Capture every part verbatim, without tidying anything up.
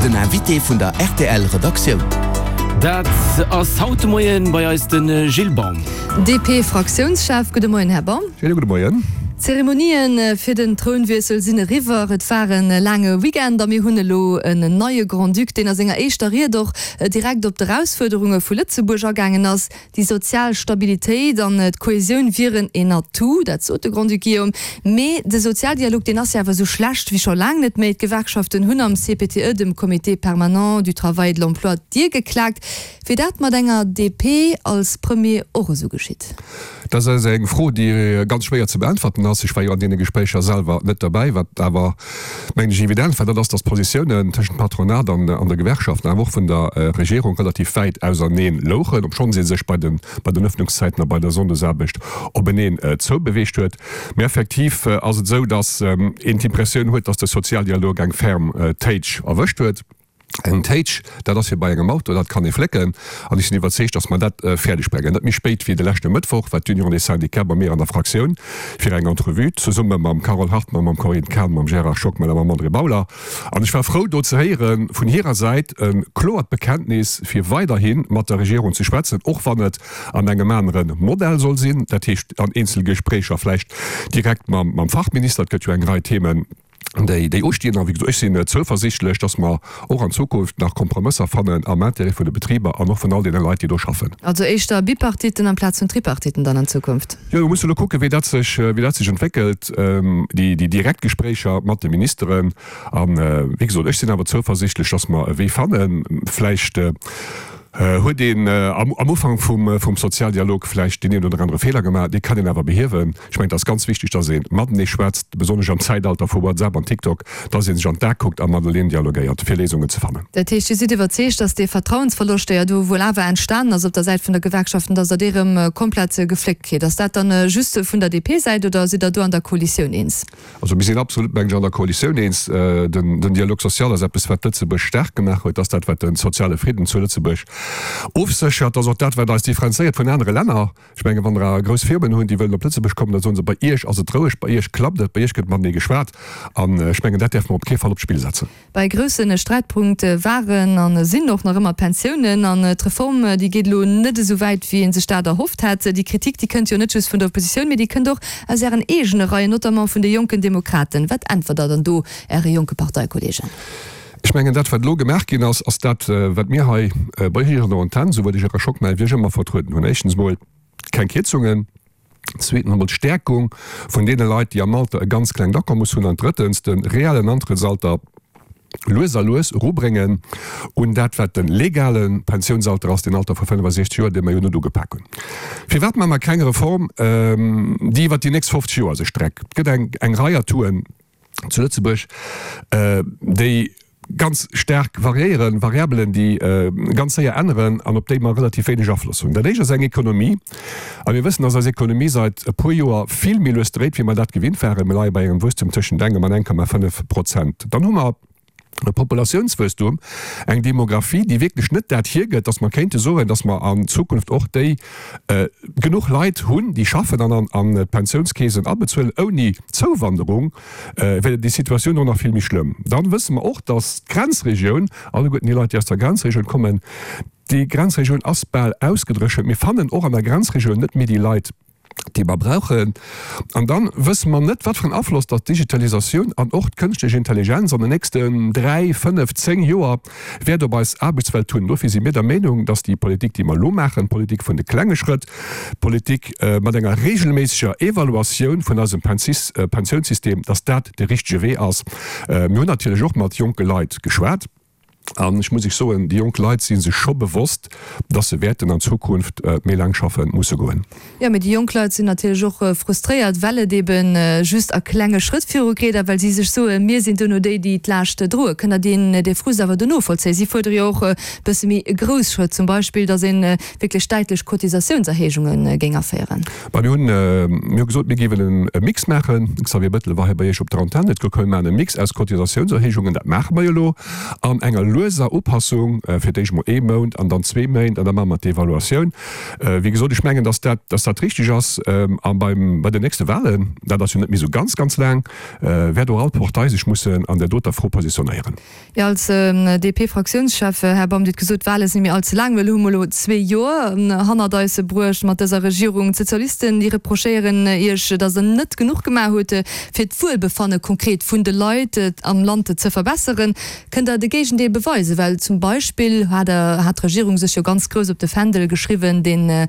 Den Invité vun der R T L Redaktioun. Dat ass haut de Moien bei eis de Gilles Baum. D P-Fraktiounschef. Gudde Moien, Här Baum. Schéine gudde Moien. D'Zeremonien fir den Trounwiessel sinn eriwwer. Et war e laange Weekend a mir hunn elo en neie Grand-Duc, deen a senger éischter Ried och direkt op d'Erausfuerderunge vu Lëtzebuerg agaangen ass. Déi sozial Stabilitéit an d'Kohesioun wieren en Atout, dat sot de Grand-Duc Guillaume. Mee de Sozialdialog, deen ass jo awer esou schlecht wéi scho laang net méi. D'Gewerkschaften hunn am C P T E, dem Comité permanent du travail et de l'emploi, d'Dier geklaakt. Wier dat mat enger D P als Premier och esou geschitt? Dat ass eng Fro, déi ganz schwéier ze beäntwerten ass. Ech war jo an deene Gespréicher selwer net derbäi. Wat awer, mengen ech, evident war, dat ass, dass d'Positiounen tëschent Patronat an an der Gewerkschaft, awer och vun der Regierung relativ wäit auserneen louchen, obschonns ee sech bei den bei den Öffnungszäiten a bei der Sonndesaarbecht openeen zoubeweegt huet. Mee effektiv ass et esou, dass een d'Impressioun huet, dass de Sozialdialog eng ferm Téitsch erwëscht huet. Eng Téitsch, dat ass wéi bei engem Auto, dat kann ee flécken. An ech sinn iwwerzeegt, dass mer dat fäerdeg bréngen. Net méi spéit wéi de leschte Mëttwoch war d'Union des Syndicats bei mir an der Fraktioun fir eng Entrevue, zesumme mam Carole Hartmann, mam Corinne Cahen, mam Gérard Schockmel a mam André Bauler. An ech war frou, do ze héiere vun hirer Säit e kloert Bekenntnis, fir weiderhi mat der Regierung ze schwätzen, och wann et an engem anere Modell soll sinn, dat heescht an Eenzelgespréicher vläicht direkt mam Fachminister. Et gëtt jo eng Rei Themen, déi déi ustinn. A wéi gesot, ech sinn zouversiichtlech, dass mer och an Zukunft nach Kompromësser fannen am Intérêt vun de Betriber an och vun all deene Leit, déi do schaffen. Also éischter Bipartiten amplaz vun Tripartiten dann an Zukunft? Jo, mir musse elo kucken, wéi dat sech, wéi dat sech entwéckelt, déi déi direkt Gespréicher mat de Ministeren. A wéi gesot, ech sinn awer zouversiichtlech, dass mer e Wee fannen. Vläicht huet een am Ufank vum vum Sozialdialog vläicht deen een oder anere Feeler gemaach, dee kann een awer behiewen. Ech mengen, et ass ganz wichteg, dass ee matenee schwätzt, besonnesch am Zäitalter vu WhatsApp an TikTok, dass ee sech an d'A kuckt a mateneen dialogéiert, fir Léisungen ze fannen. Dat heescht, Dir sidd iwwerzeegt, dass dee Vertrauensverloscht, dee jo do wuel awer entstanen ass op der Säit vun der Gewerkschaften, dass Der dee rëm komplett gefléckt kritt. Ass dat dann just vun der D P-Säit oder sidd Der do an der Koalitioun eens? Also mir sinn absolut, mengen ech, an der Koalitioun eens. Den den Dialogue social ass eppes, wat Lëtzebuerg staark gemaach huet, ass dat, wat de soziale Fridden zu Lëtzebuerg ofséchert, ass och dat, wat eis differenzéiert vun anere Länner. Ech mengen, wann der grouss Firmen hunn, déi wëllen op Lëtzebuerg kommen, da soen se, bei Iech ass et roueg, bei Iech klappt et, bei Iech gëtt matenee geschwat. An ech mengen, dat däerfe mer op kee Fall op d'Spill setzen. Bei grousse Sträitpunkt waren a sinn och nach ëmmer d'Pensiounen. An d'Reform, déi geet elo net esou wäit, wéi ee sech dat erhofft hat. Déi Kritik, déi kënnt jo net just vun der Oppositioun, mee déi kënnt och aus Ären eegene Reien, notamment vun de Jonken Demokraten. Wat äntwert Der dann do Äre jonke Parteikollegen? Ech mengen, dat, wat elo gemaach ginn ass, ass dat, wat mir hei bei Iech an der Antenn, souwuel de Gérard Schockmel wéi ech, ëmmer vertrueden hunn. Éischtens emol keng Kierzungen, zweetens emol d'Stärkung vun deene Leit, déi am Alter e ganz klengt Akommes hunn, an drëttens de reellen Antrëttsalter lues a lues erubréngen un dat, wat de legale Pensiounsalter ass, den Alter vu fënnefasechzeg Joer, dee mer jo net ugepak hunn. Firwat maache mer keng Reform, déi iwwert déi nächst fofzeg Joer sech streckt? Et gëtt eng, eng Rei Atouen zu Lëtzebuerg, déi ganz staark variéieren, Variabelen, déi ganz séier änneren an op déi mer relativ wéineg Afloss hunn. Dat éischt ass eng Ekonomie. A mir wëssen, dass eis Ekonomie seit e puer Joer vill méi lues dréit, wéi mer dat gewinnt waren. Mir leie bei engem Wuesstum tëschent engem an eng Komma fënnef Prozent. Dann hu mer e Populatiounswuesstum, eng Demografie, déi wierklech net dat hiergëtt, dass mer kéinte soen, dass mer an Zukunft och déi genuch Leit hunn, déi schaffen an an d'Pensiounskeesen abezuelen. Ouni Zouwanderung wär déi Situatioun och nach vill méi schlëmm. Dann wësse mer och, dass d'Grenzregioun, alleguerten déi Leit, déi aus der Grenzregioun kommen, déi Grenzregioun ass bal ausgedréchent. Mir fannen och an der Grenzregioun net méi déi Leit, déi mer brauchen. An dann wësse mer net, wat fir en Afloss datt d'Digitalisatioun an och d'kënschtlech Intelligenz an den nächsten dräi, fënnef, zéng Joer wäert op eis Aarbechtswelt hunn. Dofir si mir der Meenung, datt déi Politik, déi mer elo maachen, d'Politik vun de klenge Schrëtt, d'Politik mat enger regelméisseger Evaluatioun vun eisem Pensiounssystem, datt dat de richtege Wee ass. Mir hunn natierlech och mat jonke Leit geschwat. An ech muss Iech soen, déi jonk Leit si sech scho bewosst, dass se wäerten an Zukunft méi laang schaffe musse goen. Jo, mee déi jonk Leit sinn natierlech och frustréiert, well et ebe just a klenge Schrëtt virugeet a well si sech soen, mir sinn duerno déi, déi d'Laascht droen. Kënnt Der deen, dee Frust awer do novollzéien? Si fuerdere jo och e bësse méi grouss Schrëtt, zum Beispill, dass ee wierklech däitlech Cotisatiounserhéijunge géing aféieren. Bah, mir hunn, mir hu gesot, mir géiwen e Mix maachen. De Xavier Bettel war hei bei Iech op der Antenn, huet gesot, komm mir maachen e Mix aus Cotisatiounserhéijungen, dat maache mer jo elo, an enger lueser Upassung, fir d'éischt mol ee Mount an dann zwee Méint an da maache mer d'Evaluatioun. Wéi gesot, ech mengen, dass dat, dass dat richtig ass. A beim, bei den nächste Wahlen, dat ass jo net méi esou ganz, ganz laang, wäert och all Partei sech mussen an där doter Fro positionéieren. Jo, als D P-Fraktiounschef, Här Baum, Dir hutt gesot, d'Wahle sinn méi all ze laang. Well hu mer elo zwee Joer hannert eis bruecht mat dëser Regierung. D'Sozialisten, déi reprochéieren Iech, datt Der net genuch gemaach hutt, fir d'Wuelbefanne konkret vun de Leit am Land ze verbesseren. Kënnt Der de Géigendeel beweisen? Well zum Beispill hat Der, hat d'Regierung sech jo ganz grouss op de Fändel geschriwwen, dee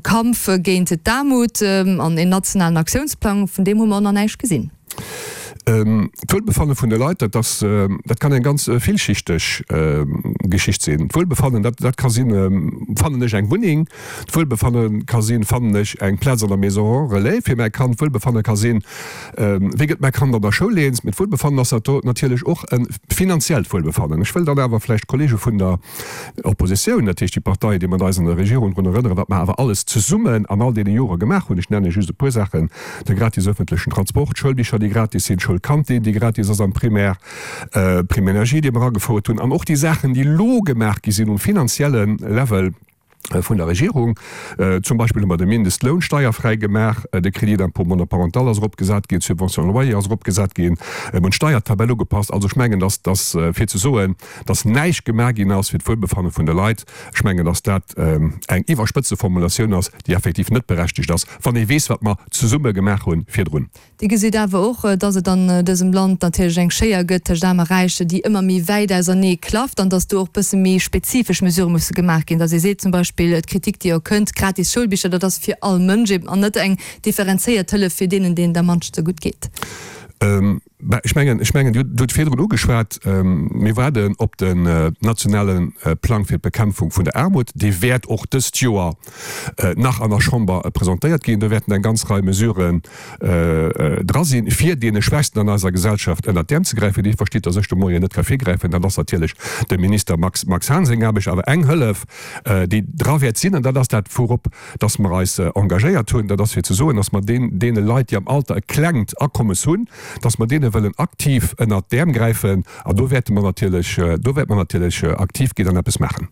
Kampf géint d'Aarmut an een nationalen Aktiounsplang, vun deem hu mer nach näischt gesinn. D'Wuelbefanne vun de Leit, dat ass, dat kann eng ganz villschichteg Geschicht sinn. D'Wuelbefannen, dat, dat ka sinn, fannen ech eng Wunneng? D'Wuelbefanne ka sinn, fannen ech eng Plaz an der Maison relais fir mäi Kand? D'Wuelbefanne ka sinn, wéi gëtt mäi Kand an der Schoul eens? Mee d'Wuelbefannen ass dat natierlech och e finanziellt Wuelbefannen. Ech wëll dann awer vläicht d'Kollege vun der Oppositioun, dat heescht déi Partei, déi mat eis an der Regierung, drun erënneren, wat mer awer alles zesummen an all deene Jore gemaach hunn. Ech nenne just e puer Saachen, de gratis öffentlechen Transport, d'Schoulbicher, déi gratis sinn, d'Schoulkantin, déi gratis ass am Primaire, d'Prime énergie, déi mer agefouert hunn, an och déi Saachen, déi elo gemaach gi sinn um finanzielle Level vun der Regierung. Zum Beispill hu mer de Mindestloun steierfräi gemaach, de Crédit d'impôt monoparental ass eropgesat ginn, d'Subvention loyer ass eropgesat ginn, mir hunn d'Steiertabell ugepasst. Also ech mengen, dass, dass fir ze soen, dass näischt gemaach ginn ass fir d'Wuelbefanne vun de Leit, ech mengen, dass dat eng iwwerspëtzte Formulatioun ass, déi effektiv net berechtegt ass, wann ee weess, wat mer zesumme gemaach hu virdrun. Dir gesitt awer och, dass et an dësem Land natierlech eng Schéier gëtt tëscht Aarm a Räich, déi ëmmer méi wäit ausernee klafft an dass do och bësse méi spezifesch Mesurë musse gemaach ginn, dass ee seet zum Beispill, d'Kritik, déi jo kënnt, gratis Schoulbicher, dat ass fir all Mënsch eben an net eng differenzéiert Hëllef fir deenen, deenen et am mannste gutt geet. Bah, ech mengen, ech mengen, Dir hutt virdrun ugeschwat, mir waarden op den nationale Plang fir d'Bekämpfung vun der Aarmut. Dee wäert och dëst Joer nach an der Chamber presentéiert ginn. Do wäerten eng ganz Rei Mesuren dra sinn, fir deene Schwächsten an eiser Gesellschaft ënnert d'Äerm ze gräifen. Dir verstitt, dass ech de Moien net ka virgräifen. Dat ass natierlech dem Minister Max, Max Hahn seng Aarbecht. Awer eng Hëllef, déi dra wäert sinn, an dat ass dat, wourop dass mer eis engagéiert hunn, dat ass fir ze soen, dass mer deen, deene Leit, déi am Alter e klengt Akommes hunn, dass mer deene wëllen aktiv ënnert d'Äerm gräifen. An do wäerte mer natierlech, do wäerte mer natierlech aktiv ginn an eppes maachen.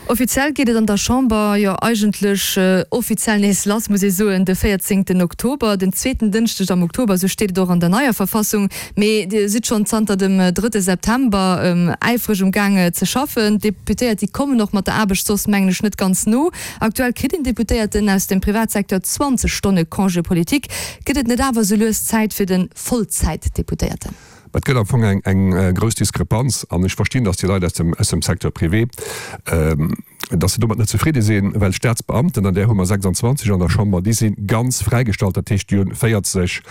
Offiziell geet et an der Chamber jo eigentlech offiziell nees lass, muss ee soen, de véierzéngten Oktober, den zweeten Dënschdeg am Oktober, esou steet et och an der neier Verfassung. Mee Dir sidd schonn zanter dem drëtte September äifreg um Gaang ze schaffen. D'Deputéiert, déi kommen och mat der Aarbecht soss, mengen ech, net ganz no. Aktuell kritt een Deputéierten aus dem Privatsecteur zwanzeg Stonne Congé politique. Gëtt et net awer esou lues Zäit fir de Vollzäitdeputéierten? Et gëtt am Fong eng, eng grouss Diskrepanz an ech verstinn, datt déi Leit aus dem, aus dem Secteur privé, datt se domat net zefridde sinn, well d'Staatsbeamten, an där hu mer sechsundzwanzeg an der Chamber, déi si ganz fräigestallt, dat heescht, déi hunn véierzeg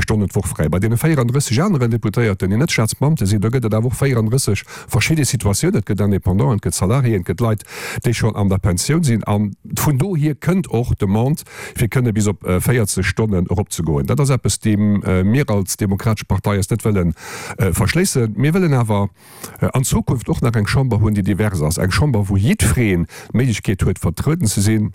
Stonnen d'Woch fräi. Bei deene véierandrësseg aneren Deputéierten, déi net Staatsbeamte sinn, do gëtt et awer och véierandrësseg verschidde Situatiounen. Et gëtt Indépendanten, et gëtt Salariéen, et gëtt Leit, déi schonn an der Pensioun sinn. A vun dohier kënnt och d'Demande, fir kënne bis op véierzeg Stonnen eropzegoen. Dat ass eppes, deem mir als Demokratesch Partei eis net wëlle verschléissen. Mir wëllen awer an Zukunft och nach eng Chamber hunn, déi divers ass, eng Chamber, wou jiddwereen d'Méiglechkeet huet, vertrueden ze sinn.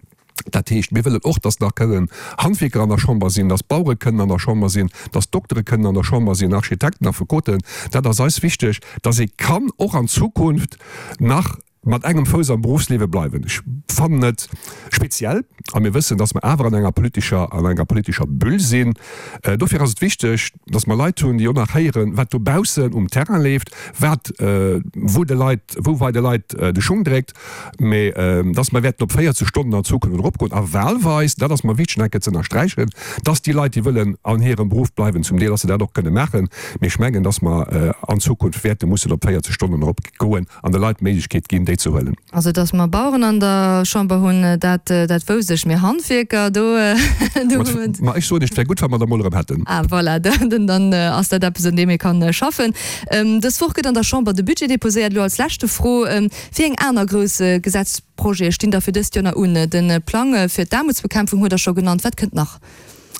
Dat heescht, mir wëllen och, dass nach kënnen Handwierker an der Chamber sinn, dass Bauere kënnen an der Chamber sinn, dass Doktere kënnen an der Chamber sinn, Architekten, Affekoten. Dat ass eis wichteg, dass ee kann och an Zukunft nach mat engem Fouss am Berufsliewe bleiwen. Ech fannen et speziell, a mir wëssen, dass mer awer an enger politescher, an enger politescher Bulle sinn. Dofir ass et wichteg, dass mer Leit hunn, déi och nach héieren, wat dobaussen um Terrain leeft, wat, wou de Leit, wou bei de Leit de Schung dréckt. Mä dass mer wäerten op véierzeg Stonnen an Zukunft eropgoen a wahlweis, dat ass mer wichteg nach eng Kéier ze ënnersträichen, dass déi Leit, déi wëllen an hirem Beruff bleiwen, zum Deel, dass se dat och kënne maachen. Mee ech mengen, dass mer an Zukunft wäerte mussen op véierzeg Stonnen eropgoen an de Leit d'Méiglechkeet ginn, déi ze huelen. Also, dass mer Baueren an der Chamber hunn, dat, dat wousst ech. Mee Handwierker, do, do hu mer. Ma ech soen, et wär gutt, wa mer der emol erëm hätten. Ah, voilà, dann, dann ass dat eppes, un deem ee kann schaffen. Dës Woch gëtt an der Chamber de Budget deposéiert. Elo als leschte Fro, Wéi eng aner grouss Gesetzprojete stinn da fir dëst Joer nach un? De Plang fir d'Aarmutsbekämpfung hutt Der scho genannt. Wat kënnt nach?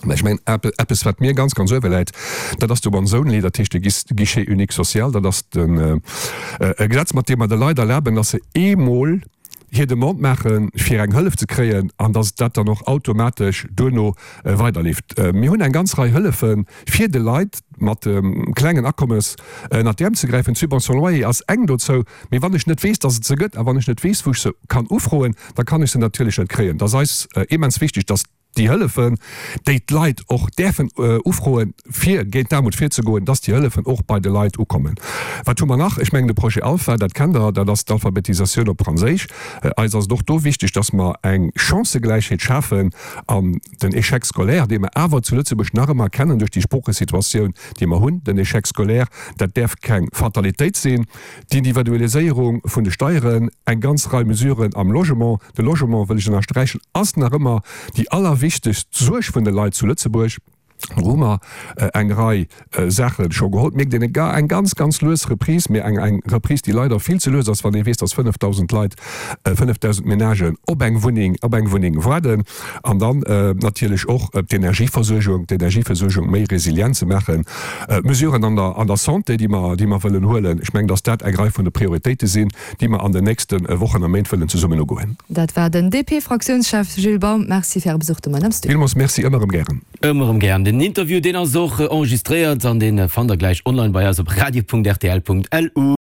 Mä ech mengen, eppes, wat mir ganz, ganz uewe läit, dat ass de Once Only, dat heescht de Guichet unique social. Dat ass e Gesetz, mat deem mer de Leit erlaben, dass se eemol hir Demande maachen, fir eng Hëllef ze kréien, an dass dat dann och automatesch duerno weiderleeft. Mir hunn eng ganz Rei Hëllefe fir de Leit mat klengen Akommes ënnert d'Äerm ze gräifen. D'Subvention loyer ass eng dozou. Mee wann ech net weess, dass et se gëtt, a wann ech net weess, wou ech se kann ufroen, da kann ech se natierlech net kréien. Et ass eis immens wichteg, dass déi Hëllefen, déi d'Leit och däerfen ufroen, fir géint d'Aarmut virzegoen, dass déi Hëllefen och bei de Leit ukommen. Wat hu mer nach? Ech mengen, de Projet Alpha, dat kennt Der, dat ass d'Alphabetisatioun op Franséisch. Eis ass et och do wichteg, dass mer eng Chancëgläichheet schafen an den Échec scolaire, dee mer awer zu Lëtzebuerg nach ëmmer kennen duerch déi Sproochesituatioun, déi mer hunn, den Échec scolaire, dat däerf keng Fatalitéit sinn. D'Individualiséierung vun de Steieren, eng ganz Rei Mesuren am Logement. De Logement, wëll ech ënnersträichen, ass nach ëmmer déi allerwichtegst Suerg vun de Leit zu Lëtzebuerg. Do hu mer eng Rei Saache scho geholl. Et mierkt een eng ganz, ganz lues Reprise, mee eng Reprise, déi leider vill ze lues ass, wann ee weess, dass fënnefdausend Leit, fënnefdausend Menagen op eng Wunneng, op eng Wunneng waarden. An dann natierlech och d'Energieversuergung, d'Energieversuergung méi resilient ze maachen. Mesuren an der, an der Santé, déi mer, déi mer wëllen huelen. Ech mengen, dass dat eng Rei vun de Prioritéite sinn, déi mer an den nächste Wochen a Méint wëllen zesummen ugoen. Dat war den D P-Fraktiounschef Gilles Baum. Merci fir Äre Besuch de Moien am Studio. Villmools Merci, ëmmer erëm gären. Ëmmer erëm gären. Den Interview, deen ass och enregistréiert an dee fannt der gläich online bei eis op radio Punkt R T L Punkt L U.